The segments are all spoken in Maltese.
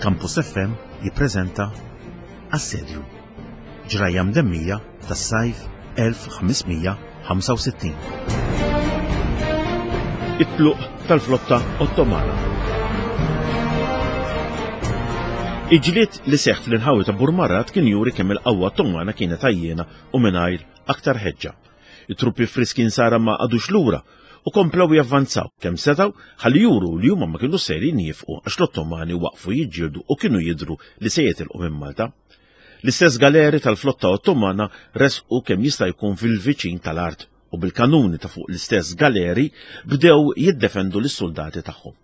Campus FM jippreżenta Assedju. Ġrajja mdemmija tas-sajf 1565. It-tluq tal-flotta Ottomana. Il-ġlied li seħħ fl-inħawi ta' Burmarrad kien juri kemm il-qawwa Ottomana kienet għajjiena u mingħajr aktar ħeġġa. It-truppi friski nsara ma qagħdux lura u komplew javvanzaw kemm setgħu ħalli juru li huma ma kinux sejrin jifqu għax l-Ottomani waqfu jiġġieldu u kienu jidhru li se jitilqu minn Malta. L-istess galeri tal-flotta Ottomana resqu kemm jista' jkun fil-viċin tal-art u bil-kanuni ta' fuq l-istess galeri bdew jiddefendu lis-suldati tagħhom.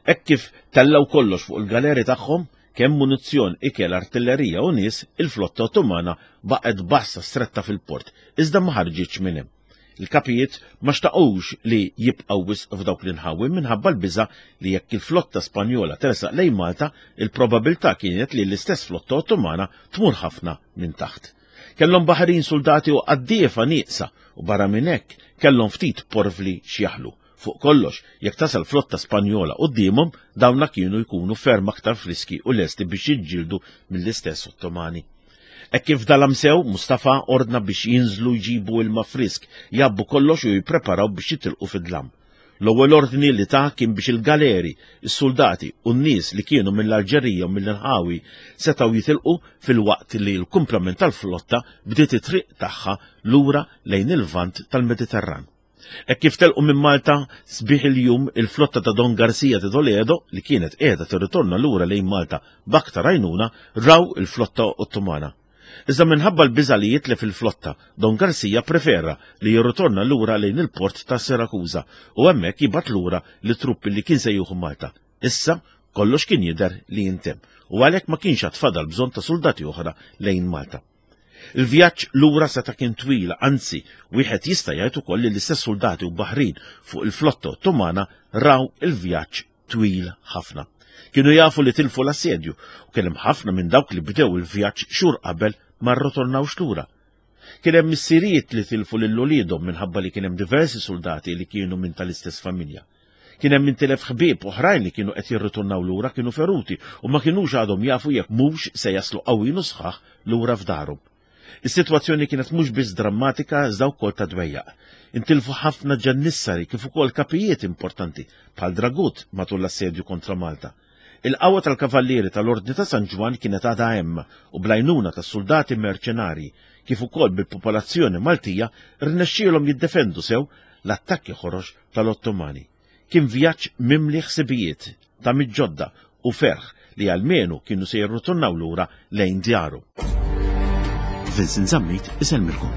Hekk kif tellgħu kollox fuq il-galeri tagħhom, kemm munizzjon, ikel, artillerija u nies, il-flotta Ottomana baqgħet b'għassa stretta fil-port, iżda ma ħarġitx minn hemm. Il-kapijiet ma xtaqux li jibqgħu wisq f'dawk l-inħawi minħabba l-biża' li jekk il-flotta Spanjola tersaq lejn Malta, il-probabilità kienet li l-istess flotta Ottomana tmur ħafna minn taħt. Kellhom baħrin suldati u qaddiefa nieqsa u barra minn hekk kellhom ftit porvli x'jaħlu. Fuq kollox, jekk tasal flotta Spanjola quddiemhom, dawna kienu jkunu ferm aktar friski u lesti biex jiġġieldu mill-istess Ottomani. Hekk kif dalam sew, Mustafa ordna biex jinżlu jġibu ilma frisk, jgħabbu kollox u jippreparaw biex jitilqu fid-dlam. L-ewwel ordni li ta kien biex il-galeri, is-suldati u n-nies li kienu mill-Alġerija u mill-inħawi setgħu jitilqu filwaqt li l-kumplament tal-flotta bdiet it-triq tagħha lura lejn il-Lvant tal-Mediterran. Hekk kif telqu minn Malta, sbieħ il-jum, il-flotta ta' Don Garcia de Toledo, li kienet qiegħda tirritorna lura lejn Malta b'aktar għajnuna, raw il-flotta Ottomana. Iżda minħabba l-biża' li jitlef il-flotta, Don Garcia pprefera li jirritorna lura lejn il-port ta' Sirakuża u hemmhekk jibgħat lura lit-truppi li kien se jieħu Malta. Issa, kollox kien jidher li jintemm u għalhekk ma kienx għad fadal bżonn ta' suldati oħra lejn Malta. Il-vjaġġ lura seta' kien twil, anzi, wieħed jista' jgħid ukoll li l-istess suldati u baħrin fuq il-flotta Ottomana raw il-vjaġġ twil ħafna. Kienu jafu li tilfu l-assedju u kien hemm ħafna minn dawk li bdew il-vjaġġ xhur qabel ma rritornawx lura. Kien hemm missirijiet li tilfu lil uliedhom minħabba li kien hemm diversi suldati li kienu minn tal-istess familja. Kien hemm min tilef ħbieb oħrajn li kienu qed jirritornaw lura kienu feruti u ma kinux għadhom jafu jekk mhux se jaslu qawwin u sħaħ lura f'darhom. Is-sitwazzjoni kienet mhux biss drammatika iżda wkoll ta' dwejjaq. Intilfu ħafna ġannissari kif ukoll kapijiet importanti bħal Dragut matul l-assedju kontra Malta. Il-qawwa tal-Kavallieri tal-Ordni ta' San Ġwann kienet għadha hemm u bl-għajnuna tas-suldati merċenarji kif ukoll bil-popolazzjoni Maltija rnexxielhom jiddefendu sew l-attakki ħorox tal-Ottomani. Kien vjaġġ mimli ħsibijiet, tamiet ġodda u ferħ li almenu kienu se jirritornaw lura lejn djarhom. Vincent Zammit isellmilkom.